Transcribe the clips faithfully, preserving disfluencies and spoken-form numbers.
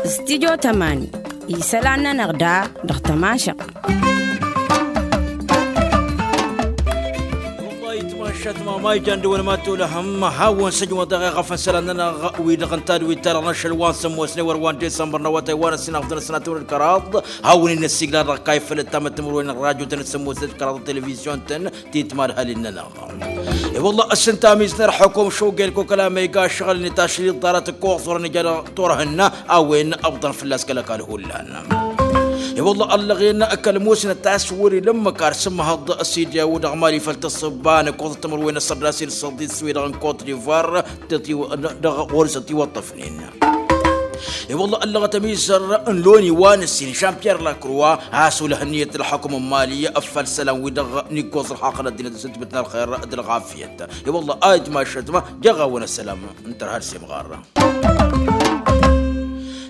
Studio tămani isălan-nănăɣ da dăɣ-tămašăɣt. Wăllah itmašat mama ijan dăwăn ma tolăhăm hawăn săjmăḍ dăɣ-eɣăf n-isălan-nănăɣ wi-dăɣ n-tadwit-ta-dăɣ n-ašăl wa n-sămmosne wăr wa n-disămbăr n-awătay wa n-ăssinăɣ făd-năsăn ad-tămrăd kăraḍ. Hawăn-in-ăsigla dăɣ-kayfălăt tamăt timǝrwen n-radio-tăn d-sămmosne d-kăraḍ televizyon-tăn ti-timadhalin-nănăɣ. I-wălla ăssintamiz n-ărḥăkom šugel kokăla ma iga ăššăɣǝl-net ašli ḍarăt ǝkkoẓ wăren ija dăɣ-turhǝnna a-wen ăbḍăn fălla-s kăl-ăkall hullan. I-wălla ăllăɣen kăl-musnăt a-s wăr-ila ǝmmǝk ar sǝmmăhăḍ s-idyaw dăɣ-mali făll-tǝssǝbba n-ǝkkoẓăt timǝrwen n-ăssărdasi d-săḍis-wi-dăɣ n-kot divar dăɣ-wăr-s ătiwăṭṭăfnen. I-wălla ăllăɣăt ămizăr n-loni wa n-ǝssin žan-pyer lakroa a-s olăh ǝnniyăt ălxukǝm n-mali ăffal isălan-wi-dăɣ n-iggoẓ ălxaqq n-ăddinăt s-ǝntbǝtna ălxer d-ălɣafyăt. I-wălla a itmašăt ma jăɣ-awăn ăssălam n-tărha d-semɣar.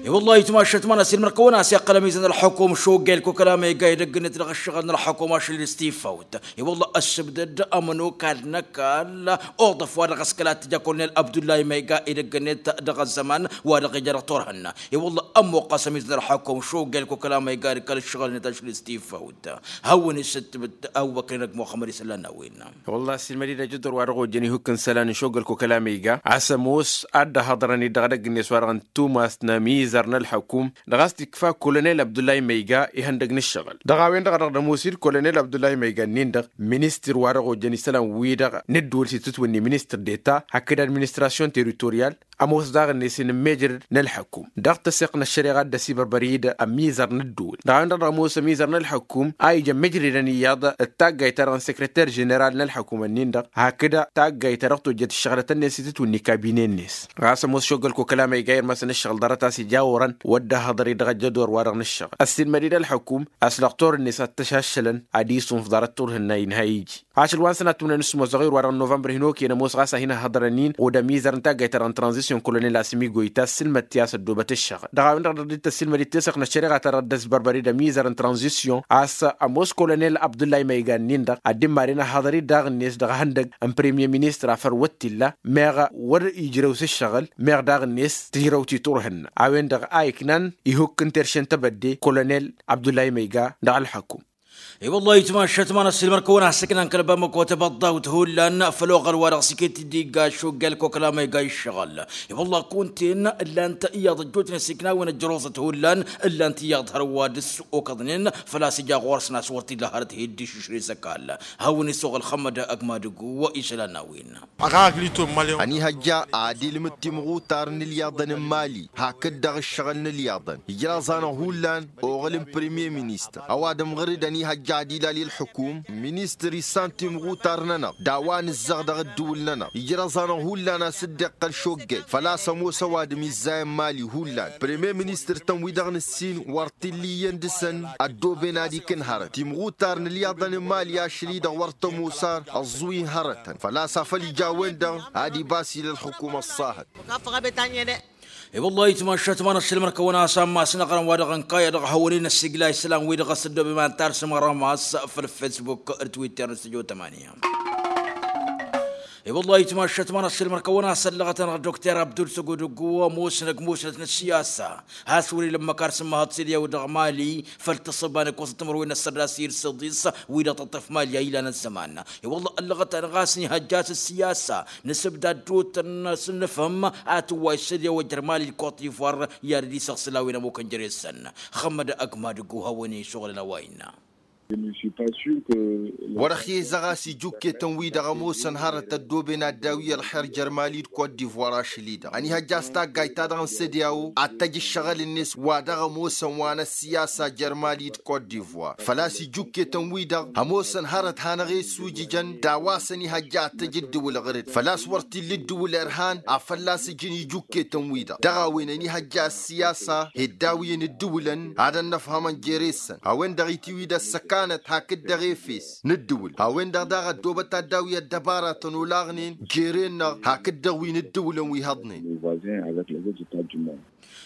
I-wălla a itmašăt ma n-ăsilmăr-kăwăn a-s iqqăl ămizăr n-ălxukum šugel kokăla ma iga edăgg-net dăɣ-ǝššăɣǝl n-ălxukum ašăl-i d-stifawt. I-wălla ăssǝbdăd ămănokal n-ăkall oḍăf wa dăɣ-s kăla t-ija kolonel abdullahi ma iga edăgg-net dăɣ-ăzzăman wa dăɣ-ija dăɣ-turhǝnna. I-wălla ămmuqqăs ămizăr n-ălxukum šugel kokăla ma iga d-kăl-ǝššăɣǝl-net ašăl-i d-stifawt. Hawăn-isǝttǝbǝt abubăkr-in ăgg muxămmăd isălan n-a-wen. Wălla-hi ăssiilmăd-dd ajădor wa dăɣ-ojăn ihukk n-isălan n-šogăl kokăla ma iga a-s ămoos ad-dd-ăhhăḍărăn-dd dăɣ-edăgg-net wa dăɣ-n tumas n-ămizăr n-ălxukum dăɣ-a-s t-ikfa kolonel abdullahi ma iga ihăndăg n-ǝššăɣǝl. Dăɣ-a-wen-dăɣ a dăɣ-dd-ămoos-dd kolonel abdullahi ma iga-nin-dăɣ ministăr wa dăɣ-ojăn isălan-wi-dăɣ n-ǝddǝwǝl s-itǝtwǝnni ministăr deta hakd administrasyon teritoryal. Ămoos daɣ-net inǝmmejrăd n-ălxukum dăɣ-tăseɣt n-ăššăreɣa a dd-ăsibărbăr-dd ămizăr n-ăddǝwǝl. Dăɣ-a-wen-dăɣ dăɣ-ămoos ămizăr n-ălxukum a ija ămmejrădăn iyyăḍ d-taggayt-ta-dăɣ n-sekreter ženeral n-ălxukum-nin-dăɣ hakd taggayt ta dăɣ-tojjăt ǝššăɣlăt-net s-itǝtwǝnni kabine-net. Ɣas ămoos šogăl kokăla ma iga irmăsăn ǝššăɣǝl ḍarăt a-s ija a orăn wăr dd-ăhhăḍăr-dd dăɣ-ăjjădor wa dăɣ-nǝššăɣǝl ăssiilmăd-dd ălxukum a-s lăɣtor-net ad-t-ăšaššălăn ad-isunf ḍarăt turhǝnna inha iji. Ašăl wa n-sănat tǝmnen s-ămoos dăɣ-iru wa dăɣ-novămbăr hin-okăyăn ămoos ɣas a hin-ăhhăḍărăn-in ɣud ămizăr n-taggayt-ta-dăɣ n-tranzisyon kolonel asǝmigoy ta s-sǝlmăd-t i-a-s ăddoobăt ǝššăɣǝl dăɣ-a-wen-dăɣ dăɣ-dd-tăssilmăd-dd teseɣt n-ăššăreɣa-ta-dăɣ dd-ăsbărbăr-dd ămizăr n-tranzisyon a-s ămoos kolonel abdullahi ma iga-nin-dăɣ ad-dd-immadăn ăhhăḍăr-dd daɣ-net dăɣ-ehăndăg n-premyer ministăr afăl wăr t-illa meɣ wăr ijrăw s-ǝššăɣǝl meɣ daɣ-net tǝjrăw titurhǝnna a-wen-dăɣ a iknan ihukk n-terše n-tebădde kolonel abdullahi ma iga dăɣ-ălxukum. I-wăllah itmašat ma n-ăssiilmăr-kăwăn a-s ǝknan kăl-bamăko tebăḍḍawt hullan făll-oɣăl wa dăɣ-s iket-dd igga šuggal kokăla ma iga iššăɣǝl. I-wăllah kunta-en ǝllan-t iyyăḍ ăjjootnen s-iknawăn ăjrăẓăt hullan ǝllan-t iyyăḍ hărwa dăr-s okăḍnen făl-a-s ija ɣur-săn a-s wăr t-illa hărăt hi-dd išǝšrez ăkall. Hawăn-isoɣăl xămmăd ăgg madǝgu wa išălan n-a-wen. Ănihăjja ad-ilmǝd timɣutar n-ilyaḍăn n-mali hakd-dăɣ ǝššăɣǝl n-ilyaḍăn ijraẓ-anăɣ hullan oɣǝl n-premyer ministăr ăwadǝm ɣǝr-dd ănihăjja ad-ilal i-ălḥukum ministăr issan timɣutar-nănăɣ d-a-wa nǝzzăɣ dăɣ-ǝddǝwǝl-nănăɣ ijraẓ-anăɣ hullan a-s dd-iqqăl šoggăy făl-a-s ămoos ăwadǝm izzayăn mali hullan premyer ministăr-tăn wi-dăɣ nǝssin wăr t-illa iyyăn dăɣ-săn ăddooben ad-ikǝn hărăt timɣutar n-ilyaḍăn n-mali ašăl-i-dăɣ wăr tămoos ar ăẓẓu-in hărătăn făl-a-s afăl ija a-wen-dăɣ ad-ibas ila ălxukum ăṣṣahăt. I-wăllah itmašat ma n-ăššălmăr-kăwăn a-s ammas n-aɣrǝm wa dăɣ-ănkayăd dăɣ-hawăn-in-ăssigla isălan-wi-dăɣ a-s ăddoobem ad-tarsǝm ăramas făll-facebook d-twitter n-stujo tămania. I-wăllah itmašat ma n-ăššălmăr-kăwăn a-s ăllăɣăt-anăɣ dokter abdul săgudǝggu ămoosnăg musnăt n-ăssiyasa has-wăr-ila ǝmmǝk ar sǝmmăhăḍ s-ed i-a-wa dăɣ-mali făll-tǝssǝba n-ǝkkoẓăt timǝrwen n-ăssărdasi d-săḍis wi-dăɣ tăṭṭăf mali a ilan ăzzăman. I-wălla ăllăɣăt-anăɣ a-s nihăjja s-ăssiyasa nǝsǝbda ăddootăn s-nǝfhǝm a tǝwway s-ed i-a-wa jer-mali d-kot divoir i-ad-dd-isăɣsǝl a-wen ămukăn jere-săn. Xămmăd ăgg madǝggu hawăn-isuɣǝlăn a-wa innă. Wăr-ăxyezăɣ a-s ijuketăn-wi-dăɣ ămoosăn hărăt ăddooben ad-dawi ălxer jer-mali d-kot divoir ašăl-i-dăɣ ănihăjja a-s taggayt-ta-dăɣ n-sădeawo ad-tăj ǝššăɣǝl-net wa dăɣ-ămoosăn wa n-ăssiyasa jer-mali d-kot divoir făl-a-s ijuketăn-wi-dăɣ ămoosăn hărăt hanăɣ-e-ăssujǝjăn d-a-wa s-ănihăjja ad-tăj ǝddǝwǝl ɣǝr-dd făl-a-s wăr t-illa ǝddǝwǝl irhan a fălla-s ǝjǝn ijuketăn-wi-dăɣ dăɣ-a-wen ănihăjja ăssiyasa hi-ăddawǝyăn ǝddǝwǝlăn ad-ănnăfhămăn jere-săn a-wen-dăɣ itiwǝy d-ăssăkanăt hakd-dăɣ efes n-ǝddǝwǝl a-wen-dăɣ daɣ ăddoobăt ad-dawi ăddăbaratăn olaɣnen jere-năɣ hakd-dăɣ wi n-ǝddǝwǝlăn wi hăḍnen.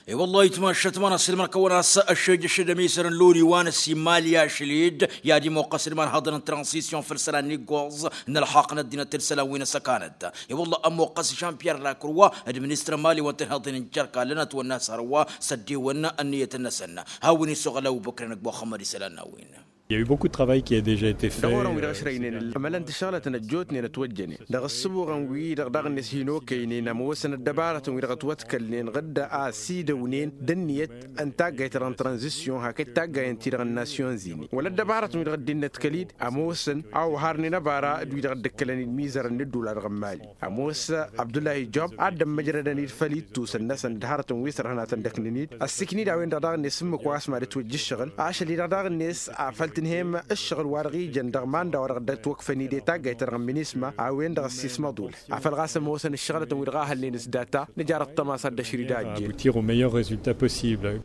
I-wăllah itmašăt ma n-asǝlmăr kăwăn-as ăššejăšăd ămisăr n-loni wa n-ăssimalya ašled i-ad-imoqqăs d-imanhăḍăn n-transisyon făll-isălan n-iggoẓ n-ălxaqq n-ăddinăt d-isălan wi n-ăssăkanăt. I-wăllah ămoqqăs žan-pyer lakruwa d-ministăr n-imali wa n-tǝnhăḍen n-jerka lănăt wănna s-hărwa s-ăddiwăn ǝnniyăt-năsăn. Hawăn-isuɣǝl ăbubăkren d-muxămmăd isălan n-a-wen. I-a eu beaucoup de travail qui a deja été fait. Dăɣ-orăn wi-dăɣ ăšrăynen ămălăn-t ǝššăɣlătăn ăjjootnen ătwăjjănen dăɣ-ǝssǝbuɣăn-wi-dăɣ daɣ-net hin-okăynen ămoosăn ăddăbarătăn wi-dăɣ ătwătkălnen ɣǝdda a ăsidăwnen d-ǝnniyăt n-taggayt-ta-dăɣ n-tranzisyon hakd taggayăn-ti-dăɣ n-nasyon zine wăla ăddăbarătăn wi-dăɣ dd-innătkăl-dd ămoosăn a oharnen ăbara d-wi-dăɣ dd-ǝkkălăn-dd imizărăn n-ǝddula-dăɣ n-imali. Ămoos abdullahi job ad-dd-ămmăjrădăn-dd făll-ittusăn-năsăn d-hărătăn wi s-ărhănatăn d-ăknǝn-dd ăssiikn-dd a-wen-dăɣ daɣ-net ǝmmǝk wa s-mad-ǝtwăjja ǝššăɣǝl ašăl-i-dăɣ daɣ-net afăl tǝnhăyăm ǝššăɣǝl wa dăɣ-ijăn dăɣ-manda wa dăɣ-dd-ătwăkfăn-dd i-taggayt-ta-dăɣ n-minisma a-wen-dăɣ ăssiismăḍul afăl ɣas ămoosăn ǝššăɣlătăn wi-dăɣ a hălnen s-data nǝjar ăṭṭăma s-ad-dd-ăšrǝy d-a ăjjeen. Aboutir au meilleur résultat possible.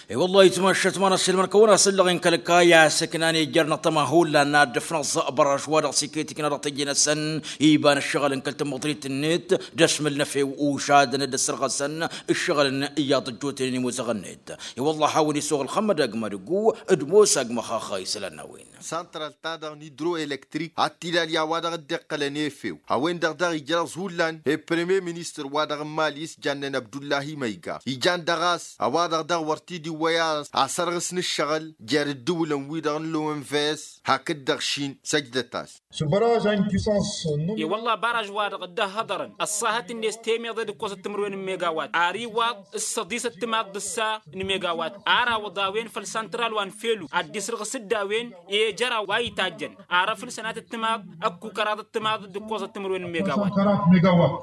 I-wăllah itmašăt ma n-asǝlmăr kăwăn-asǝllăɣ inkăl-kayas ǝknan ejăr n-ăṭṭăma hullan n-ad-dd-ǝfnăẓ bărăš wa dăɣ-s iket ikna dăɣ-teje-năsăn iba n-ǝššăɣǝl n-kăl-tămăḍrit-net d-ăšmǝl n-efew ušadăn d-ăssărɣăsăn ǝššăɣǝlăn iyyăḍ ăjjootnen imuzăɣ-net. I-wăllah a hawăn-isuɣǝl xămmăd agmădgu d-mosa agmăxaxa isălan n-a-wen. Santral-ta-dăɣ n-idro-elektrik ad-t-ilal i-a-wa-dăɣ dd-iqqălăn efew a-wen-dăɣ daɣ ijrăẓ hullan i-premier ministăr-wa-dăɣ n-imali s-jannen abdullahi măyga ijan dăɣ-a-s a-wa-dăɣ daɣ wăr t-dd-iwwăy a-s asărɣǝs n-ǝššăɣǝl jer-ǝddǝwǝlăn-wi-dăɣ n-lowănves hakd-dăɣ šin săjdăt-as. I-wălla bărăž-wa-dăɣ dd-ăhhăḍărăn ăṣṣahăt-net temeḍe d-ǝkkos d-timǝrwen n-megawat ar iwaḍ s-săḍis ăttămaḍ d-ǝssa n-megawat ar awăḍ a-wen făll-santral wa n-felu ad-dd-isrǝɣǝs d-a-wen i-ejăraw wa itajjăn ar ăfǝl sănat ăttămaḍ ăkku kăraḍ ăttămaḍ d-ǝkkoẓăt timǝrwen n-megawat.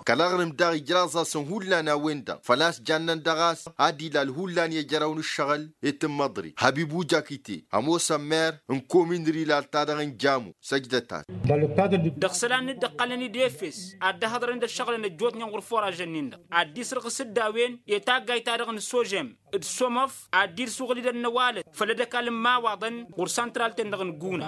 Kăl-aɣrǝm daɣ ijraẓ-asăn hullan a-wen-dăɣ făl-a-s jannăn dăɣ-a-s ad-ilal hullan i-ejăraw n-ǝššăɣǝl i-tǝmmăḍrit hăbibu jakite ămoosăn mer n-komin rilal-ta-dăɣ n-jamu săjdăt-as. Dăɣ-isălan n-dd-ǝqqălăn-dd efes ad-dd-ăhhăḍrăn d-ăššăɣǝlăn ăjjootnen ɣur-foražăn-nin-dăɣ ad-dd-isrǝɣǝs d-a-wen i-taggayt-ta-dăɣ n-sožem d-somăf ad-dd-irsuɣǝl-dd ănnăwalăt făll-ădăkal n-imawaḍăn ɣur-santral-ten-dăɣ n-guna.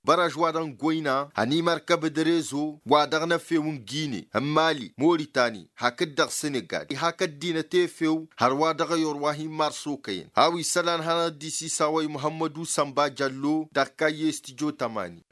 Bărăž-wa-dăɣ n-goyna ănimărkăb d-rezo wa dăɣ-năfew n-gine n-mali moritani hakd-dăɣ senegal ihak ăddinăt efew hărwa dăɣ-ayor wa hin-marsokăyăn a-wa isălan hanăɣ-dd-isisawăy muhămmădu sănba jăllo dăɣ-kayye s-tijo tămani.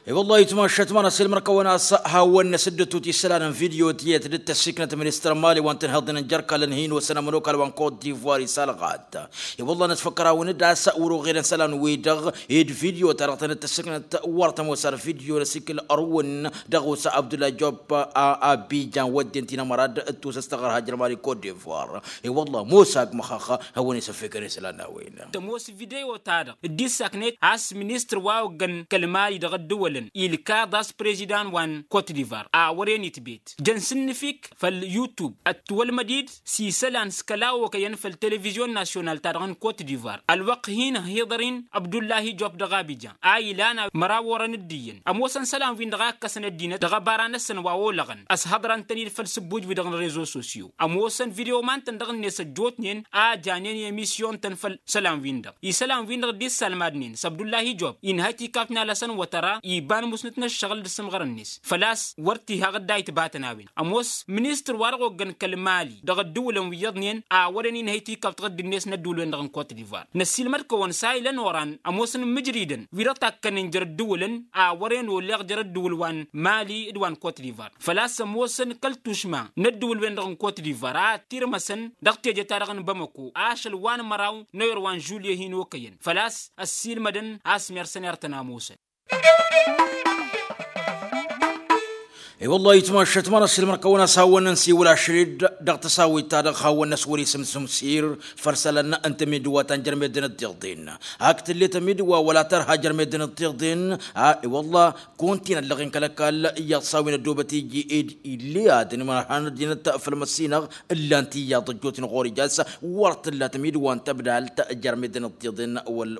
I-wăllah itmašăt ma n-asǝlmăr kăwăn-as hawăn-năsǝddǝtut isălan n-video tiyyăt dd-tăssiknăt ministăr n-mali wa n-tǝnhăḍnen jer-kallăn hin-osăn ămănokal wa n-kot divoir isalɣat. I-wăllah nǝtfăkkăr-awăn-dd a-s wăr-oɣelăn isălan-wi-dăɣ ed video-ta-dăɣ tăn-dd-tăssiknăt wăr tămoos ar video n-asikǝl ărwǝn dăɣ-osa abdullah job a abijan wădden tinămăra d-tusăs taɣărha jer-mali kot divoir. I-wăllah mosa agmăxaxa hawăn-isăffekăn isălan n-a-wen. Tămoos video-ta-dăɣ dd-issaknet a-s ministăr wa oggăn kăl-mali dăɣ-ăddǝwălăn ilkaḍ a-s prezidan wa n-kot divar a wăren itbet jăn s-ǝnnǝfik făll-yutub ătwălmăd-dd s-isălan s-kăla okăyăn făll-televizyon nasyonal-ta-dăɣ n-kot divar ălwăqq hin-ăhiḍăr-in abdullahi job dăɣ-abijan a ilan a măraw orăn dd-iyyăn ămoosăn isălan-win-dăɣ a ǝkkăsăn ăddinăt dăɣ-ăbara-năsăn wa olăɣăn ăshăḍrăn-tăn-dd făll-sǝbbuj-wi-dăɣ n-rezo sosyo ămoosăn video ma n-tăn dăɣ-net ăjjootnen a janen i-emisyon-tăn făll-isălan-win-dăɣ isălan-win-dăɣ dd-issalmadnen s-abdullahi job inhăy tikawt n-alăsăn wătăra iba n-musnǝt n-ǝššăɣǝl d-asǝmɣăr-net făl-a-s wăr t-iha ɣǝdda itbatăn a-wen ămoos ministăr wa dăɣ-oggăn kăl-mali dăɣ-ăddǝwǝlăn wi iyyăḍnen a wăren inhăy tikawt ɣǝdd-net n-ăddǝwǝlwen-dăɣ n-kot divar năssiilmăd-kăwăn s-a ilăn oran ămoosăn imǝjridăn wi-dăɣ takkănen jer-ăddǝwǝlăn a wăren oleɣ jer-ăddǝwǝl wa n-mali d-wa n-kot divar făl-a-s ămoosăn kăl-tušma n-ăddǝwǝlwen-dăɣ n-kot divar a ăttirmăsăn dăɣ-teje-ta-dăɣ n-bamăko ašăl wa n-măraw n-ăyor wa n-žulye hin-okăyăn făl-a-s ăssiilmădăn a-s mersăn ertăn a ămoosăn. I-wăllah itmašăt ma n-ăssiilmăr kăwăn-as hawăn-nănsiwǝl ašăl-dd dăɣ-tăsawit-ta-dăɣ hawăn-năswăr isǝm sumsir făll-isălan n-tămidǝwa ta n-jer-meddǝn ăddiḍen hak tǝlle tămidǝwa wăla tărha jer-meddǝn ăddiḍen. I-wăllah kăwăn-t-in-ăllăɣen kăl-ăkall iyyăḍ s-a-wen ăddoobăt iji ed ill'-e adǝm ăhan ăddinăt făll-măssinăɣ ǝllan-t iyyăḍ ăjjootnen ɣur-ija a-s wăr t-tǝlla tămidǝwa n-tăbdalt jer-meddǝn ăddiḍen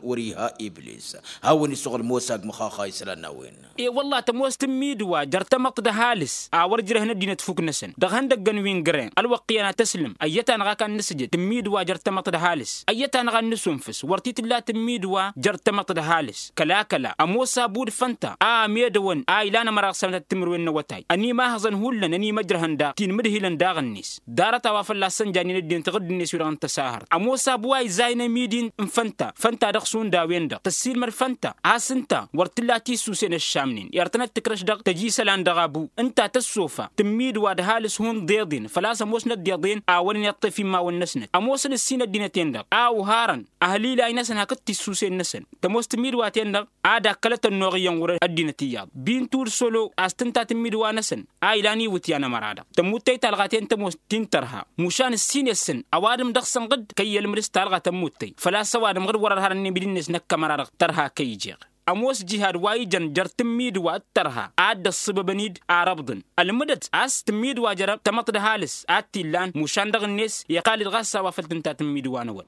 wăr-iha iblis. Hawăn-isuɣǝl mosa agmăxaxa isălan n-a-wen. I-wăllah tămoos tǝmmidǝwa jer-tamăḍt d-ha d-ăhalǝs a wăr ǝjrăhăn ăddinăt fuk-năsăn dăɣ-ihăndăggăn wi n-găren ălwăqq iyyăn ad-tăslǝm ăyyăt-anăɣ a kan-nǝsǝjǝd tǝmmidǝwa jer-tamăḍt d-ăhalǝs. Ăyyăt-anăɣ ad-nǝsunfǝs wăr t-tǝlla tǝmmidǝwa jer-tamăḍt d-ăhalǝs. Kăla-kăla ămoos abu d-fănta a ămedăwăn a ilan ămăra dăɣ-sănătăt timǝrwen n-awătay ănimahăẓăn hullan ănimăjrăhăn daɣ tinmǝdhilăn daɣ-net. Ḍarăt a-wa fălla-s sănjanen ăddinăt iɣǝdd-net wi-dăɣ n-tăsahărt ămoos abu a izayǝn amidi n-fănta fănta dăɣ-šund a-wen-dăɣ tăssiilmăd fănta a-s ǝnta wăr t-tǝlla tisusen ăššamnen. Irtănăt tǝkrăš dăɣ-tăj isălan dăɣ-abu ǝnta tăssofa tǝmmidǝwa d-ăhalǝs hundăyăḍen făl-a-s ămoosnăt d-iḍen a wăren iṭṭef immawăn-năsnăt ămoosăn ǝssin ăddinăt-en-dăɣ a uharăn ăhlilayăn-năsăn hakd tisusen-năsăn. Tămoos tǝmmidǝwa-ten-dăɣ ad-akkălăt ănnuɣ iyyăn ɣur-ăddinăt iyyăḍ bintu d-solo a-s tǝnta tǝmmidǝwa-năsăn a ilan iwǝtyan ămăra-dăɣ tămmuttăyt talɣa-ten tămoos ti n-tărha. Mušan ǝssin-esăn ăwadǝm dăɣ-săn ɣǝdd kăy-ălmǝd s-talɣa tămmuttăyt făl-a-s ăwadǝm ɣǝd wăr-ărharăn inibǝd-net năkk ămăra-dăɣ tărha kăy-ijeɣ. Ămoos jihad wa ijăn jer-tǝmmidǝwa d-tărha ad-dd-ăṣṣǝbăbăn-dd arăbḍăn ălmǝdăt a-s tǝmmidǝwa jer-tamăḍt d-ăhalǝs ad-t-illan mušan dăɣ-net iqqal-dd ɣas a-wa făl tǝnta tǝmmidǝwa-năwăn.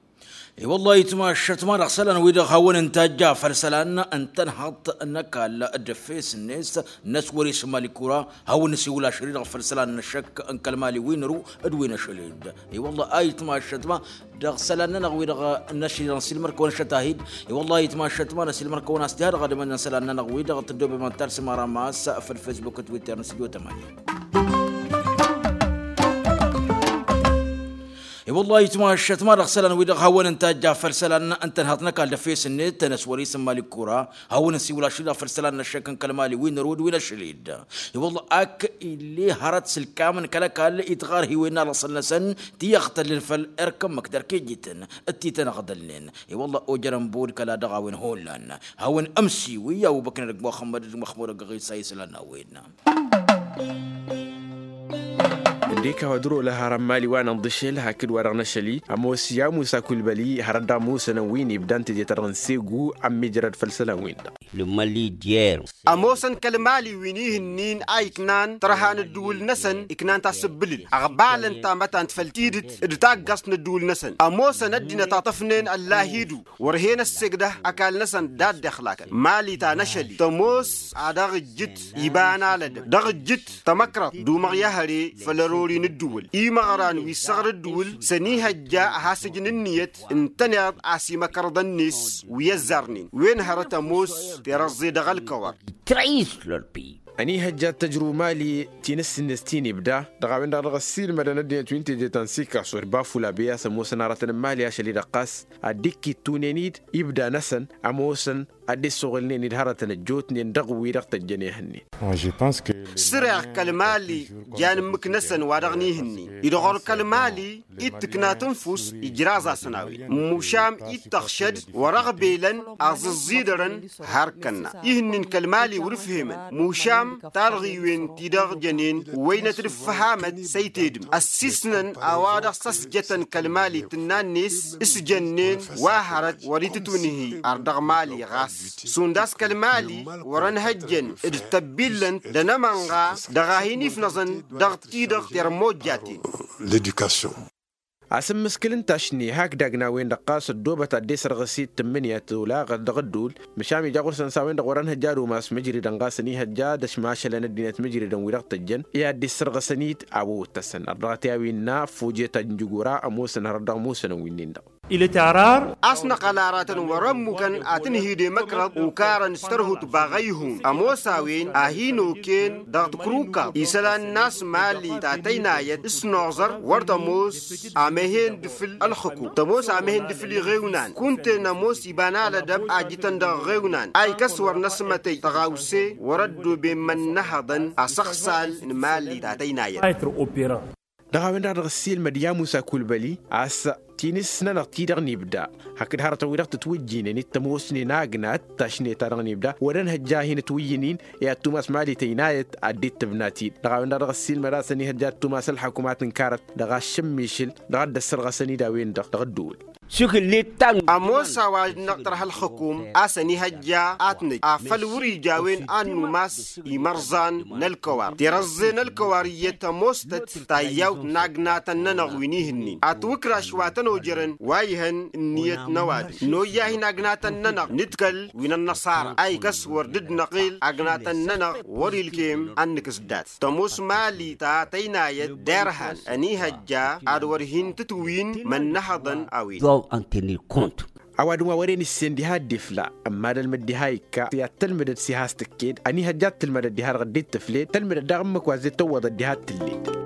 I-wăllah itmašăt ma dăɣ-isălan-wi-dăɣ hawăn-dd-tajja făll-isălan n-tănhăḍt n-ăkall d-efes-net n-ăswăr-i s-mali kura hawăn-dd-nǝsiwǝl ašăl-i-dăɣ făll-isălan n-ăššăk n-kăl-mali wi n-ărǝw d-wi n-ašăl-dd. I-wăllah a itmašăt ma dăɣ-isălan-nănăɣ-wi-dăɣ n-ašăl-i-dăɣ nǝsilmăr-kăwăn ašăt-ahid. I-wăllah a itmašăt ma nǝsilmăr-kăwăn a-s tiha dăɣ-ad-imănăn isălan-nănăɣ-wi-dăɣ tǝddobem ad-talsǝm ara ma a-s făll-fesbuk d-twitter n-studio tămani. I-wăllah itmašăt ma dăɣ-isălan-wi-dăɣ hawăn-dd-tajja făll-isălan n-tănhăḍt n-ăkall d-efes-net tănăswăr-i s-mali kura hawăn-dd-nǝsiwǝl ašăl-i-dăɣ făll-isălan n-ăššăk n-kăl-mali wi n-ărǝw d-wi n-ašăl-dd. I-wăllah ak ill'-e hărăt sǝlkamăn kăl-ăkall itɣarhiwen n-alăṣăl-năsăn ti ăɣtălăn făll-erk ǝmmǝk d-erk ijităn d-ti tăn-ăɣdălnen. I-wăllah ojărăn bod kăla dăɣ-a-wen hullan hawăn-ămsiwǝy a-wa băknădăgg muxămmăd d-măxmudăgg ɣisa isălan n-a-wen. Dd-ikaw ad-ǝrol ăhhărăn mali wa n-ănḍǝšel hakd wa-dăɣ n-ašăl-i ămoos i-amusa kulbăli hărăt dăɣ-musănăn wi n-ibda n-teje-ta-dăɣ n-segu ămmiijrăd făll-isălan-win-dăɣ. Lǝmmăli d-yerǝw. Ămoosăn kăl-mali wi n-ihǝnnin a iknan tărha n-ǝddǝwǝl-năsăn iknan tasǝbbǝlǝl ăɣbalăn tamătant făll-tidǝt d-taggaẓt n-ǝddǝwǝl-năsăn ămoosăn ăddinăt aṭṭăfnen ăllahidǝw wăr hen-ăssegdăh ăkall-năsăn d-ad-dd-ixlakăn mali ta n-ašăl-i tămoos ad-dăɣ-ǝjjǝt iba n-alădăb dăɣ-ǝjjǝt tămăkrăḍt d-umăɣ i-ahăre făll-ărori n-ǝddǝwǝl imăɣran wi ǝssăɣăr ǝddǝwǝl s-ănihăjja ad-has-ǝjǝn ǝnniyăt ǝntăneḍ a-s imăkărăḍăn-net wi ăzzarnen wen hărăt ămoos terăẓẓe dăɣ-ălkăwăr. Ănihăjja ad-tăjrǝw mali ti n-ǝssǝnnes ti n-ibda dăɣ-a-wen-dăɣ dăɣ-ăssiilmădăn ăddinăt wi n-teje ta n-sikaso d-bafula bey a-s ămoosăn aratăn n-mali ašăl-i-dăɣ ɣas ad-dd-ikkittunen-dd ibda-năsăn ămoosăn ad-dd-ăssoɣǝlnen-dd hărătăn ăjjootnen dăɣ-wi-dăɣ tăjjăn ehănnen. Săreɣ kăl-mali jan ǝmmǝk-năsăn wa dăɣ-nihǝnnin idɣăr kăl-mali ittǝkna tǝnfust ijraẓ-asăn a-wen mušam ittăɣšăd wăr-ăɣbelăn aẓǝẓẓidărăn har kănna ihǝnnin kăl-mali wăr-ǝfhemăn mušam talɣiwen ti-dăɣ jănen wăynăt d-ǝffăhamăt s-ăytedǝm ăssisnăn a-wa-dăɣ s-ăsjătăn kăl-mali tǝnna-net s-jănnen wa hărăt wăr-itǝtwǝnhi ar dăɣ-mali ɣas šund a-s kăl-mali wăr-ănhăjjăn d-tăbbillănt d-anămănɣa dăɣ-a hin-ifnăẓăn dăɣ-ti-dăɣ termojjaten. L-education. Asǝmmǝskǝl n-tašne hakd agna-wen-dăɣ ɣas ăddoobăt ad-dd-esărɣǝs-dd tǝmmǝnǝya tolaɣăt dăɣ-ădduul măšan ija ɣur-săn s-a-wen-dăɣ wăr-ănhăjja ad-umas mǝjridăn ɣas ănihăjja d-ăšmašălăn ăddinăt mǝjridăn wi-dăɣ tăjjăn i-ad-dd-issărɣăsăn-dd a-wa wăt-tăssăn ărdăɣăt i-a-wen n-a fojeta n-jǝgora ămoosăn hărăt dăɣ-musănăn wi-nin-dăɣ. A-s năqăl aratăn wăr-ămmukăn ad-tǝnhǝy d-emăkrăḍ okarăn s-tărhut baɣăy ihun ămoos a-wen a hin-oken dăɣ-tǝkrǝwkaḍ isălan n-a-s mali ta tăynayăt s-noẓăr wăr tămoos amehen d-fǝl ălxǝkum tămoos amehen d-fǝl iɣewnan kunta-en ămoos iba n-alădăb a jităn dăɣ-iɣewnan a ikăs wăr năsmătăy tăɣawse wăr-ăddooben imănnăhăḍăn asăɣsal n-mali ta tăynayăt. Dăɣ-a-wen-dăɣ dăɣ-ăssiilmăd i-amusa kulbăli a-s ti n-ǝssǝnănăɣ-t-i-dăɣ n-ibda hakd hărătăn-wi-dăɣ tǝtwǝjjǝynen d-tămoosnen agna d-tašne-ta-dăɣ n-ibda wăr-ănhăjja a hin-ǝtwǝyyǝn-in i-ad-tumas mali tăynayăt ad-dd-tǝbna-t-dd dăɣ-a-wen-dăɣ dăɣ-ăssiilmăd a-s ănihăjja ad-tumas ălḥăkumat n-karăt dăɣ-aššǝmmišǝl dăɣ-ad-dd-ăssărɣăsăn-dd a-wen-dăɣ dăɣ-ăddǝwǝl. Šukǝllet ta n-ămoos a-wa dd-năɣtărha ălxǝkum a-s ănihăjja ad-t-nǝj afăl wăr-ija a-wen ad-numas imărẓan n-ălkăwar tirăẓẓe n-ălkăwar iyyăt ămoos-tăt tayyawt n-agnatăn-nănăɣ wi n-ihǝnnin atwǝkraš wa tăn-ojărăn wa ihăn ǝnniyăt n-ăwadǝm noyya-hi n-agnatăn-nănăɣ nǝdkăl wi n-ănnăṣara a ikăs wăr dd-năɣil agnatăn-nănăɣ wăr-ilkem ad-nǝkǝs dat-tămoos mali ta tăynayăt derhan ănihăjja ad-wăr hin-tǝtwǝwin mănnăhăḍăn a-wen. Ăwadǝm wa wăren issen diha dd-ifla ămmadălmăd diha ikka i-ad-tălmǝdăd s-iha s-tǝkked ănihăjja ad-tǝlmădăd diha-dăɣ dd-tǝfled tălmǝdăd daɣ ǝmmǝk wa zed tăwwăḍăd diha d-tǝlled.